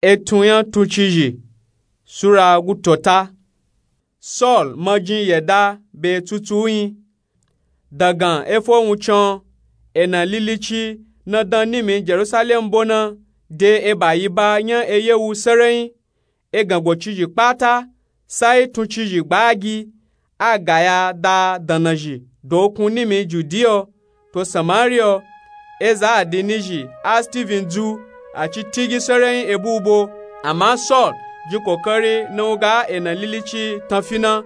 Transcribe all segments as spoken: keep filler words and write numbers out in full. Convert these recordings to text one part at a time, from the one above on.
Etun nya tuncizhi. Sura gutota. Saul majin yeda be tsutsu nyi. Dagan efo wuncin. Ena lilici na dan nimi jerusalem bo na de eba yi ba nya eyewu serenyi. Egan gocizhi kpata sai tuncizhi gbagi. A gaya da dannazhi dokun nimi judiya to samariya. Eza adinizhi a steven dzu. A ci tigi serenyi ebu bo. Ama saul ji kokari na wuga ena lilici tanfi na.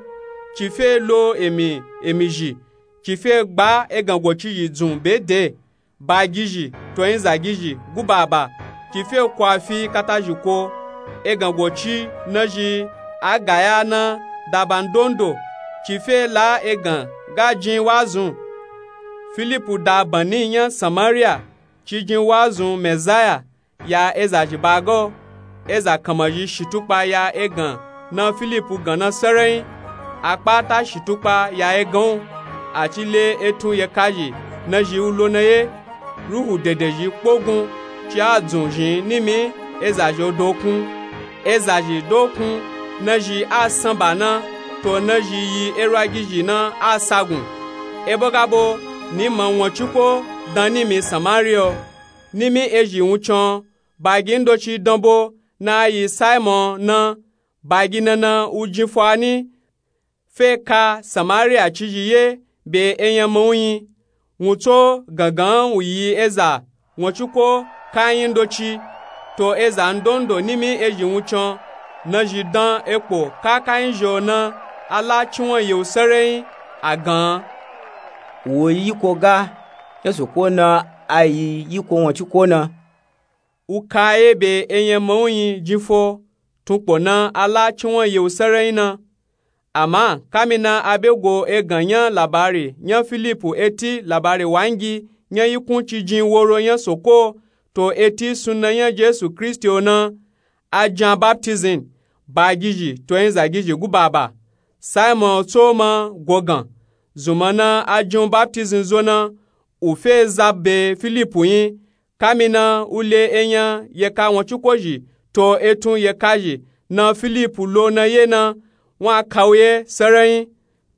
Ci fe lo emi emizhi. Ci fe gba egan gocizhi dzun be de. Bagizhi to nyizagizhi gubaba. Ci fe kwafi katazhi ko. Egan goci nazhi a gaya na daba ndondo. Ci fe la egan ga jin wazun. Filipu da banni nya samariya. Ci jin wazun mezaya ya ezazhi baga. Eza kanmazhi shitukpa ya egan na filipu gan na serenyi. A kpata shitukpa ya egan wu. A ci le etun yekazhi nazhi wu lo na ye. Ruhu dedezhi kpogun ci a dzun zhin nimi ezazhi dokun. Ezazhi dokun nazhi a sanba na. To nazhi yi erwagizhi na a sagun. Ebo ga bo ni ma won ciko dan nimi samariya. Nimi ezhi wuncin. Bagi ndoci dan bo na a yi simon na. Bagi nana wu jin fani. Fe ka samariya cizhi ye be enyama wu nyi. Wun tso gangan wu yi eza won ciko kanyi ndoci. To eza ndondo nimi ezhi wuncin nazhi dan ekpo kakanyi zhi o na. A la ciwon yewu serenyi a gan. Wo yi yiko ga nya soko na. A yi yiko won ciko na. Wu ka ye be enyama wu nyi jin fo. Tunkpo na a la ciwon yewu serenyi na. Ama kamina a be go egan nya labari nya filipu eti labari wangi nya yikun ci jin woro nya soko. To eti sunna nya jesu kristi o na. A jan baptizim. Bagizhi to nyizagizhi gubaba. Simon tso ma gogan. Zunma na a jin baptizim zo na. Wu fe za be filipu nyi. Kamina wu le enya yeka won ciko zhi to etun yekazhi na filipu lo na ye na. Won a ka wu ye serenyi.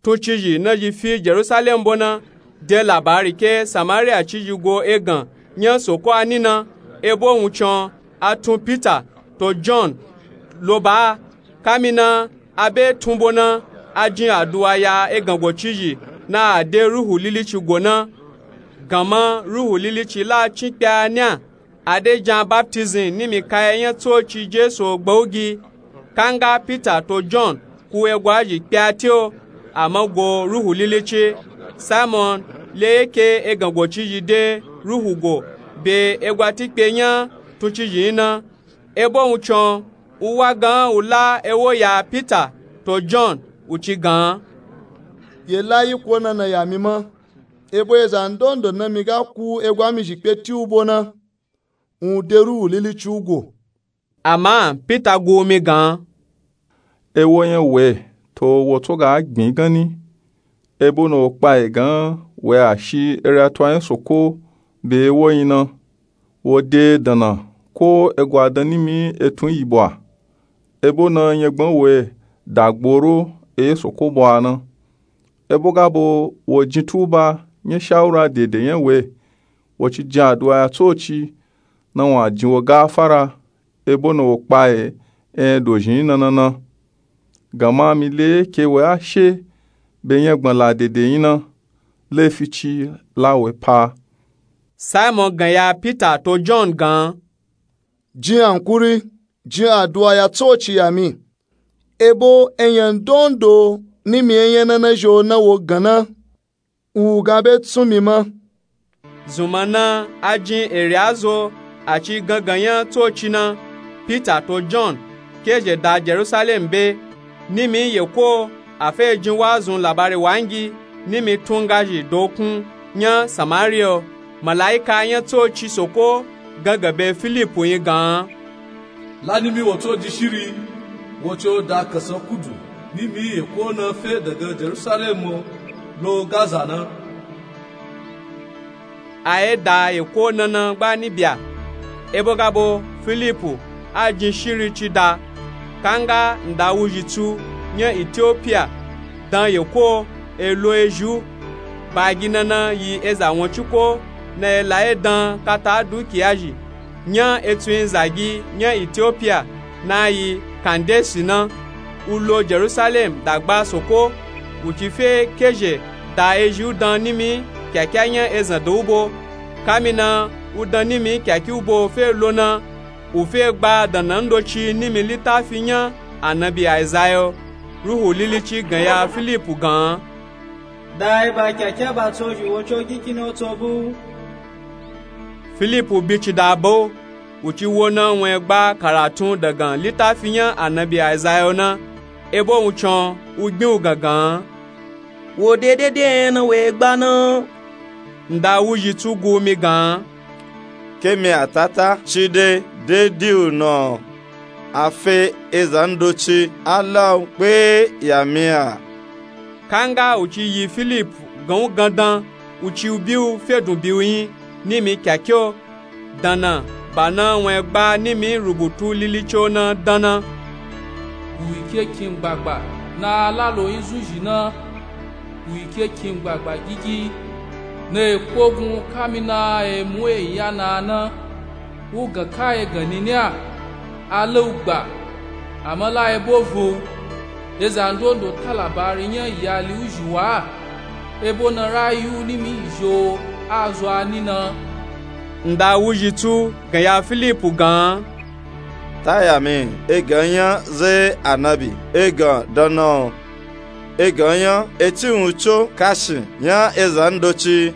Tuncizhi nazhi fi jerusalem bo na. De labari ke samariya cizhi go egan nya soko a ni na. Ebo wuncin a tun pita to john lo ba. Kamina a be tun bo na. A jin aduwa ya egan gocizhi na a de ruhu lilici go na. Ganma ruhu lilici la cin kpe a ni a. A de jan baptizim nimi kaya nya tsoci jesu o gbawugi. Kanga pita to john ku egwazhi kpe a te o. Ama go ruhu lilici simon le yeke egan gocizhi de ruhu go be egwa tikpe nya tuncizhi nyi na. Ebo wuncin wu wa gan wu la ewo ya pita to john wu ci gan. Ye la yiko nana ya mi ma. Ebo eza ndondo na mi ga ku egwa mizhi kpe ti wu bo na. Wun de ruhu lilici wu go. Ama pita gu mi gan. Ewo nya we to wo tso ga gbin gan ni. Ebo na wo kpa e gan we a shi ere a to a nya soko be ewo nyi na. Wo de danna ko egwa dan nimi etun yi bo a. Ebo na nyagban we dagboro eye soko bo a na. Ebo ga bo wo jin tuba nya shawura dede nya we. Wo ci jin aduwa ya tsoci na won a jin wo gafara. Ebo na wo kpa e enya dozhin nana na. Ganma mi le ke we a she be nya gbala dede nyi na. Lefi ci la we pa. Simon gan ya pita to john gan. Jin ankuri jin aduwa ya tsoci ya mi. Ebo enya ndondo nimi enya nana zhi o na wo gan na. Wu ga be tsun mi ma. Zunma na a jin ere a zo a ci gangan nya tsoci na. Pita to john ke zhe da jerusalem be. Nimi yeko a fe jin wazun labari wangi nimi tun ngazhi dokun nya samariya. Malaika nya tsoci soko gangan be filipu nyi gan. La nimi wo tso ji shiri. Wo co da kasan kudu nimi yeko na fe daga jerusalem lo gaza na. A ye da yeko nana gbani bya. Ebo ga bo filipu a jin shiri ci da. Kanga nda wuzhitsu nya Itiopiya dan yeko e lo ezhi u. Ba gi nana yi eza won ciko na e la e dan kata dukiya zhi. Nya etsun zagi nya Itiopiya na yi Kandesi na, u lo Jerusalem dagba soko, u ci fe kezhe da ezhi u dan nimi kyakya nya ezan do u bo. Kamina u dan nimi kyakya u bo fe lo na, u fe gba dana ndoci nimi litafi nya anabi Aizayo. Ruhu Lilici gan ya Filipu gan, da eba kyakya ba tso zhi wo co gikini o tso bu. Filipu bi ci da ba u, u ci wo na won e gba karatun dagan litafi nya anabi Aizayo na, ebo wuncin u gbin u gangan. Wo dedede enya na wo e gba na. Nda wuzhitsu gu mi gan, ke mi atata ci de dedi u na, a fe eza ndoci a la u kpe ya mi a. Kanga u ci yi Filipu gan u gandan, u ci u bi u fedun bi u yin nimi kyakya o. Dana ba na won e gba nimi rubutu Lilici o na dan na, u yi ke kin gbagba na a la lo yin zun zhi na, u yi ke kin gbagba gigi na e kpogun kamina e mu e nya na a na. U gan ka e gan nini a, a la u gba, ama la e bo vo u. Eza ndondo ta labari nya iyali u zhi wa a, ebo na rayu nimi zhi o a zo a ni na. Nda wuzhitsu gan ya Filipu gan, ta ya mi egan nya ze anabi egan dan na o. Egan nya eti wun co kashi nya eza ndoci.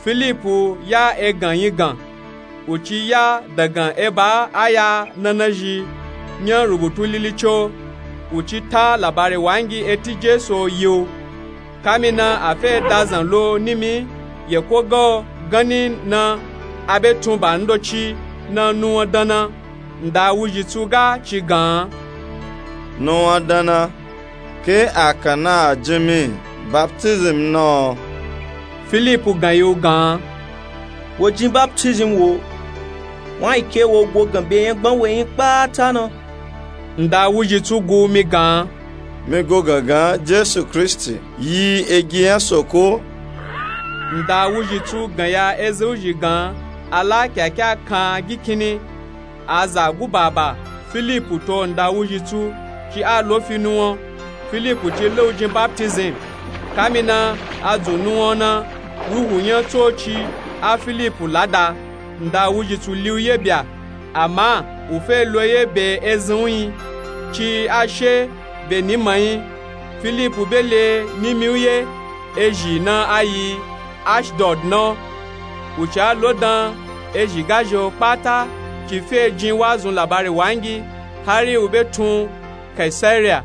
Filipu ya egan yin gan, u ci ya dagan eba aya nana zhi nya rubutu Lilici o, u ci ta labari wangi eti Jesu o yi u. Kamina a fe da zan lo nimi yeko ga o ganni na, a be tun ba ndoci na nuwan dan na. Nda wuzhitsu ga ci gan, nuwan dan na, ke a kan na a jin mi baptism na o. Filipu gan yi u gan, wo jin baptism wo, wan yi ke wo go gan be enya gban we yin kpata na. Nda wuzhitsu gu mi gan, mi go gangan Jesu Kristi yi egi nya soko. Nda wuzhitsu gan ya eza u zhi gan a la kyakya kan gikini. A za guba ba Filipu to nda wuzhitsu ci a lo fi nuwan. Filipu ci la u jin baptism. Kamina a dzun nuwan na, ruhu nya tsoci a Filipu la da, nda wuzhitsu li u ye bya, ama u fe lo ye be ezan u yin, ci a she be ni ma yin. Filipu be le nimi u ye, ezhi na a yi Ashdod na o. U ci a lo dan ezhi gazhi o kpata ci fe jin wazun labari wangi, hari u be tun Kaisariya.